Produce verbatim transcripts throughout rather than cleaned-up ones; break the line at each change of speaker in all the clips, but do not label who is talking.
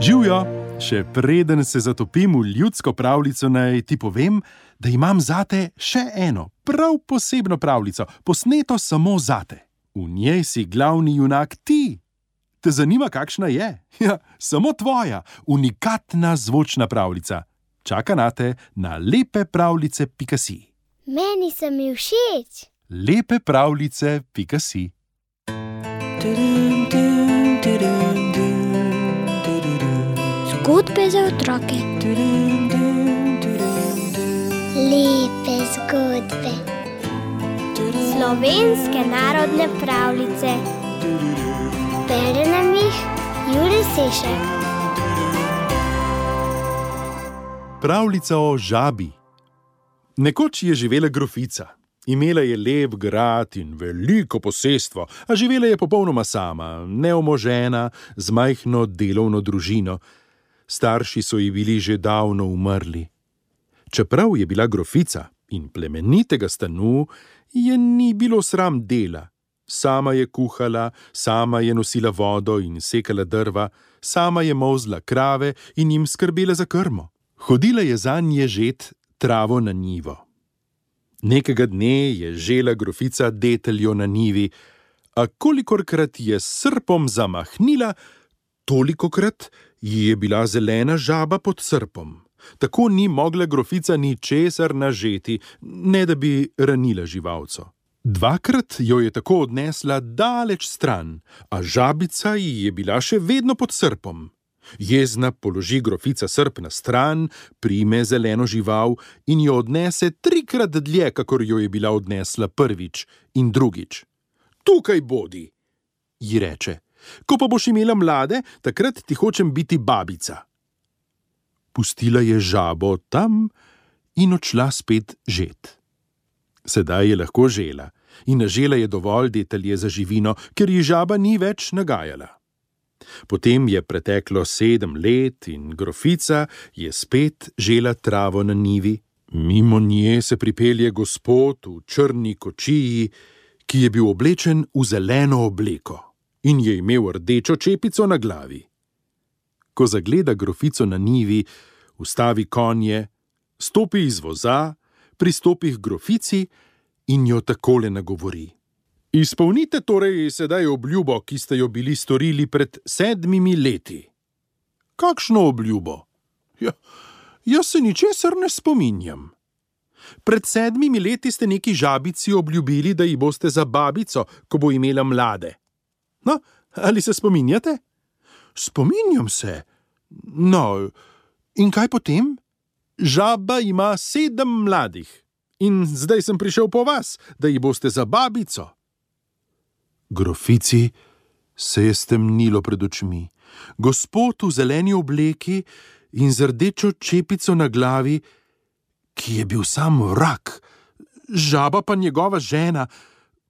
Živjo, še preden se zatopim v ljudsko pravljico, naj ti povem, da imam zate še eno, prav posebno pravljico, posneto samo zate. V njej si glavni junak ti. Te zanima, kakšna je? Ja, samo tvoja, unikatna zvočna pravljica. Čaka nate na lepepravljice pika si.
Meni se mi všeč.
lepepravljice pika si.
Zgodbe za otroke. Lepe zgodbe. Slovenske narodne pravljice. Bere nam jih Jure Sešek.
Pravljica o žabi. Nekoč je živela grofica. Imela je lep grad in veliko posestvo, a živela je popolnoma sama, neomožena, z majhno delovno družino. Starši so ji bili že davno umrli. Čeprav je bila grofica in plemenitega stanu, je ni bilo sram dela. Sama je kuhala, sama je nosila vodo in sekala drva, sama je molzla krave in jim skrbela za krmo. Hodila je zanje žet travo na njivo. Nekega dne je žela grofica deteljo na njivi, a kolikorkrat je s srpom zamahnila, tolikokrat ji je bila zelena žaba pod srpom. Tako ni mogla grofica ničesar nažeti, ne da bi ranila živalco. Dvakrat jo je tako odnesla daleč stran, a žabica ji je bila še vedno pod srpom. Jezna položi grofica srp na stran, prime zeleno žival in jo odnese trikrat dlje, kakor jo je bila odnesla prvič in drugič. Tukaj bodi, ji reče, ko pa boš imela mlade, takrat ti hočem biti babica. Pustila je žabo tam in odšla spet žet. Sedaj je lahko žela in nažela je dovolj detelje za živino, ker ji žaba ni več nagajala. Potem je preteklo sedem let in grofica je spet žela travo na njivi. Mimo nje se pripelje gospod v črni kočiji, ki je bil oblečen v zeleno obleko in je imel rdečo čepico na glavi. Ko zagleda grofico na njivi, ustavi konje, stopi iz voza, pristopi k grofici in jo takole nagovori. Izpolnite torej sedaj obljubo, ki ste jo bili storili pred sedmimi leti. Kakšno obljubo? Ja, jaz se ničesar ne spominjam. Pred sedmimi leti ste neki žabici obljubili, da ji boste za babico, ko bo imela mlade. No, ali se spominjate? Spominjam se. No, in kaj potem? Žaba ima sedem mladih in zdaj sem prišel po vas, da ji boste za babico. Grofici se je stemnilo pred očmi. Gospod v zeleni obleki in z rdečo čepico na glavi, ki je bil sam vrak, žaba pa njegova žena,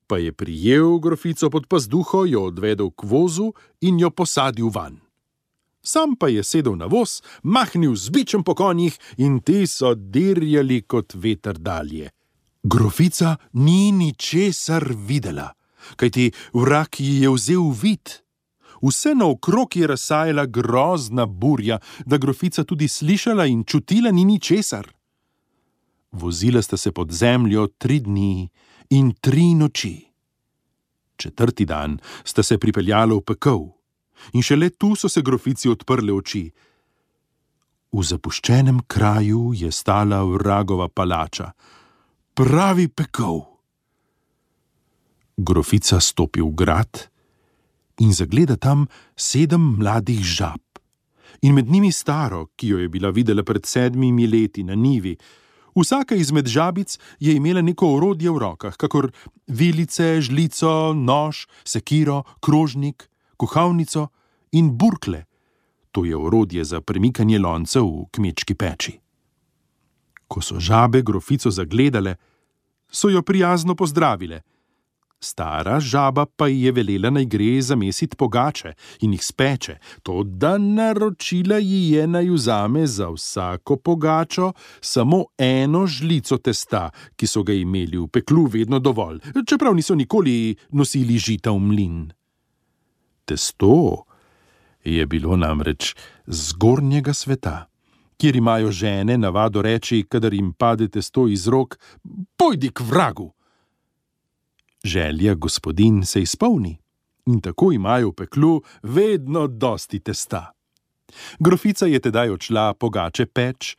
pa je prijel grofico pod pazduho, jo odvedel k vozu in jo posadil van. Sam pa je sedel na voz, mahnil z bičem po konjih in ti so dirjali kot veter dalje. Grofica ni ničesar videla, kajti vrak ji je vzel vid. Vse naokrog je razsajala grozna burja, da grofica tudi slišala in čutila ni ničesar. Vozila sta se pod zemljo tri dni in tri noči. Četrti dan sta se pripeljala v pekel in šele tu so se grofici odprle oči. V zapuščenem kraju je stala vragova palača, pravi pekel. Grofica stopi v grad in zagleda tam sedem mladih žab in med njimi staro, ki jo je bila videla pred sedmimi leti na njivi. Vsaka izmed žabic je imela neko orodje v rokah, kakor vilice, žlico, nož, sekiro, krožnik, kuhalnico in burkle. To je orodje za premikanje loncev v kmečki peči. Ko so žabe grofico zagledale, so jo prijazno pozdravile. Stara žaba pa ji je velela, naj gre zamesit pogače in jih speče, toda naročila ji je, naj vzame za vsako pogačo samo eno žlico testa, ki so ga imeli v peklu vedno dovolj, čeprav niso nikoli nosili žita v mlin. Testo Je bilo namreč zgornjega sveta, kjer imajo žene navado reči, kadar jim pade testo iz rok: pojdi k vragu. Želja gospodinj se izpolni in tako imajo v peklu vedno dosti testa. Grofica je tedaj odšla pogače peč,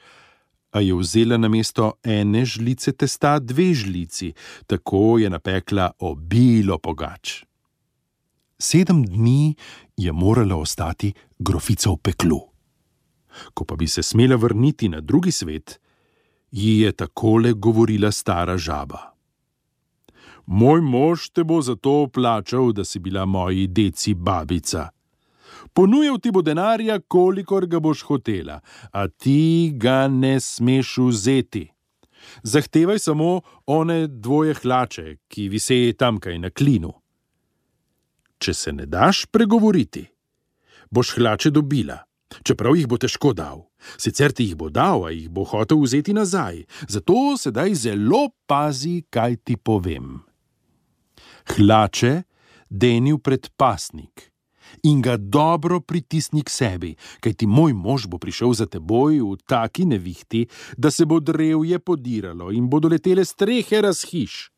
a je vzela namesto ene žlice testa dve žlici, tako je napekla obilo pogač. Sedem dni je morala ostati grofica v peklu. Ko pa bi se smela vrniti na drugi svet, ji je takole govorila stara žaba: moj mož te bo zato plačal, da si bila moji deci babica. Ponujal ti bo denarja, kolikor ga boš hotela, a ti ga ne smeš vzeti. Zahtevaj samo one dvoje hlače, ki viseje tamkaj na klinu. Če se ne daš pregovoriti, boš hlače dobila, čeprav jih bo težko dal. Sicer ti jih bo dal, a jih bo hotel vzeti nazaj. Zato sedaj zelo pazi, kaj ti povem. Hlače deni v predpasnik in ga dobro pritisni k sebi, kajti moj mož bo prišel za teboj v taki nevihti, da se bo drevje podiralo in bodo letele strehe razhiš.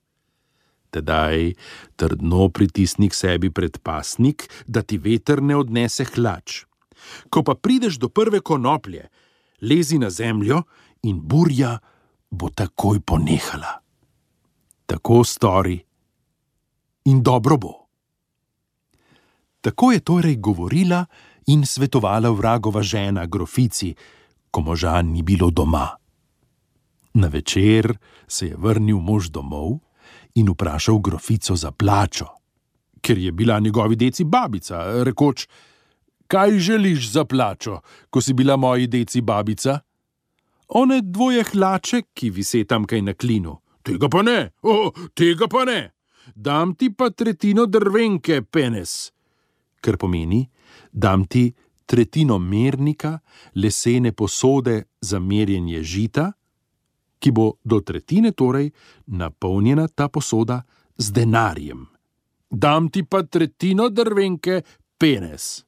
Tedaj trdno pritisni k sebi predpasnik, da ti veter ne odnese hlač. Ko pa prideš do prve konoplje, lezi na zemljo in burja bo takoj ponehala. Tako stori in dobro bo. Tako je torej govorila in svetovala vragova žena grofici, ko moža ni bilo doma. Na večer se je vrnil mož domov in vprašal grofico za plačo, ker je bila njegovi deci babica, rekoč: kaj želiš za plačo, ko si bila moji deci babica? One dvoje hlače, ki vise tamkaj na klinu. Tega pa ne, o, tega pa ne. Dam ti pa tretjino drvenke, penes. Kar pomeni, dam ti tretjino mernika, lesene posode za merjenje žita, ki bo do tretjine torej napolnjena ta posoda z denarjem. Dam ti pa tretjino drvenke, penes.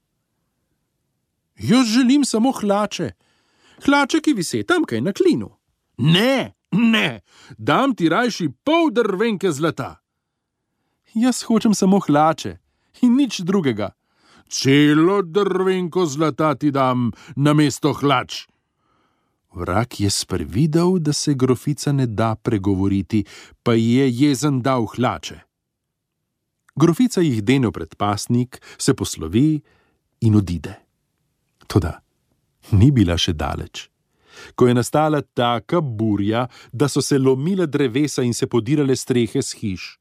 Jaz želim samo hlače. Hlače, ki vise tamkaj na klinu. Ne, ne, dam ti rajši pol drvenke zlata. Jaz hočem samo hlače in nič drugega. Celo drvenko zlata ti dam namesto hlač. Vrag je sprevidel, da se grofica ne da pregovoriti, pa je jezen dal hlače. Grofica jih dene v predpasnik, se poslovi in odide. Toda ni bila še daleč. Ko je nastala taka burja, da so se lomile drevesa in se podirale strehe s hiš.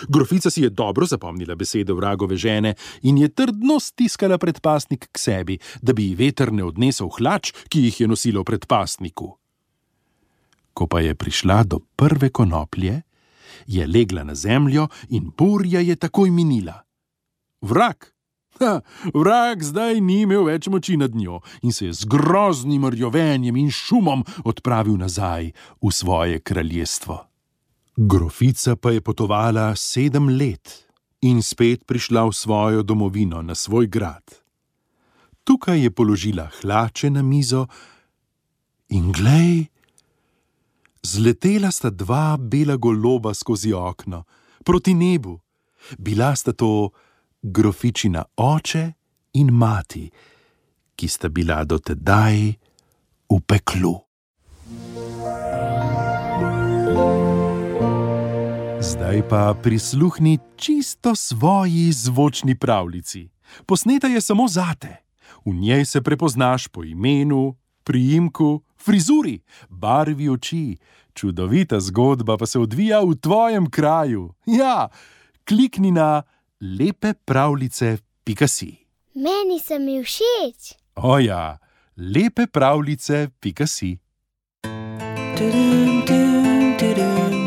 Grofica si je dobro zapomnila besede vragove žene in je trdno stiskala predpasnik k sebi, da bi ji veter ne odnesel hlač, ki jih je nosila v predpasniku. Ko pa je prišla do prve konoplje, je legla na zemljo in burja je takoj minila. Vrag! Ha, vrag zdaj ni imel več moči nad njo in se je z groznim rjovenjem in šumom odpravil nazaj v svoje kraljestvo. Grofica pa je potovala sedem let in spet prišla v svojo domovino, na svoj grad. Tukaj je položila hlače na mizo in glej, zletela sta dva bela goloba skozi okno, proti nebu. Bila sta to grofičina oče in mati, ki sta bila do tedaj v peklu. Zdaj pa prisluhni čisto svoji zvočni pravljici. Posneta je samo zate. V njej se prepoznaš po imenu, priimku, frizuri, barvi oči. Čudovita zgodba pa se odvija v tvojem kraju. Ja, klikni na lepe pravljice pika si.
Meni se mi všeč.
O ja, lepe pravljice pika si.
Tudum, tudum, tudum.